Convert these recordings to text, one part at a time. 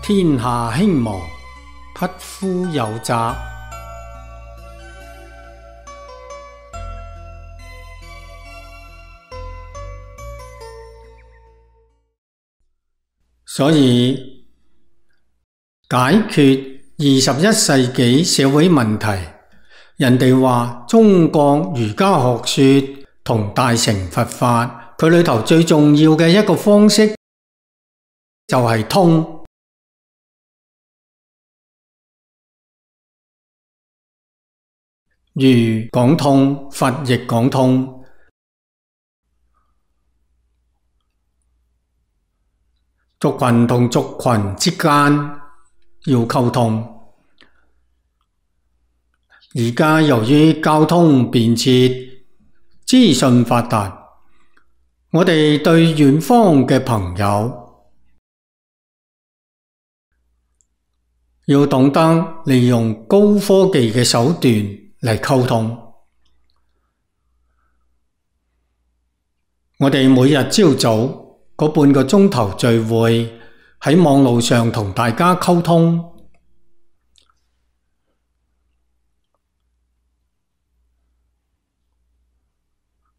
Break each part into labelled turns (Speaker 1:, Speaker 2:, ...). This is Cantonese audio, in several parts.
Speaker 1: 天下興亡，匹夫有責。所以解決21世紀社會問題，人哋話中國儒家學說同大乘佛法，佢裏頭最重要嘅一個方式就係通。儒講通，佛亦講通。族群同族群之間要溝通。而家由於交通便捷，資訊發達，我哋對遠方嘅朋友要懂得利用高科技嘅手段嚟溝通。我哋每日朝早嗰半個鐘頭聚會，喺網路上同大家溝通。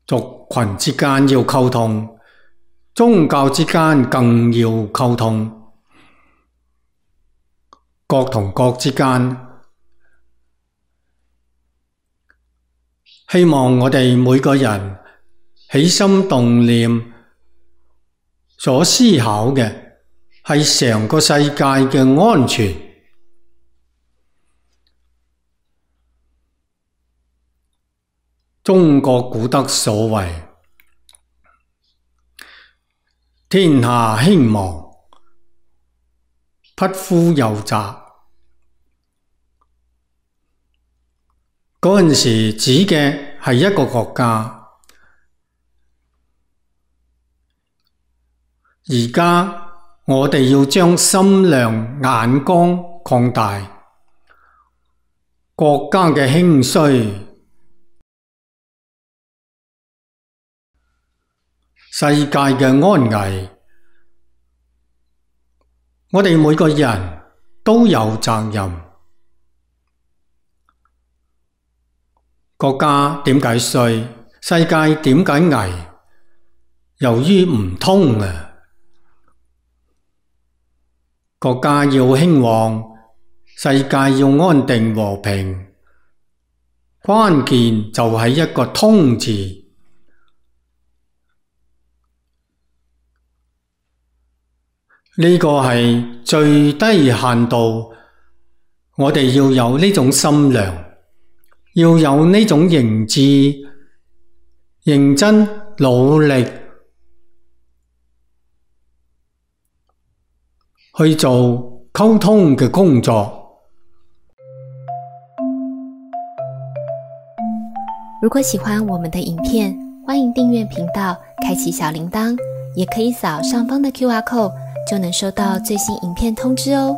Speaker 1: 族群之間要溝通，宗教之間更要溝通，國同國之間。希望我哋每個人起心動念所思考嘅係成個世界嘅安全。中國古德所謂天下興亡，匹夫有責。嗰陣時指嘅係一個國家，而家我哋要將心量眼光擴大，國家嘅興衰、世界嘅安危，我哋每個人都有責任。國家點解衰？世界點解危？由於唔通啊！國家要興旺，世界要安定和平，關鍵就係一個通字。呢個係最低限度，我哋要有呢種心量，要有呢種認知，認真努力去做溝通嘅工作。
Speaker 2: 如果喜歡我們的影片，歡迎訂閱頻道，開啟小鈴鐺，也可以掃上方的QR code，就能收到最新影片通知哦。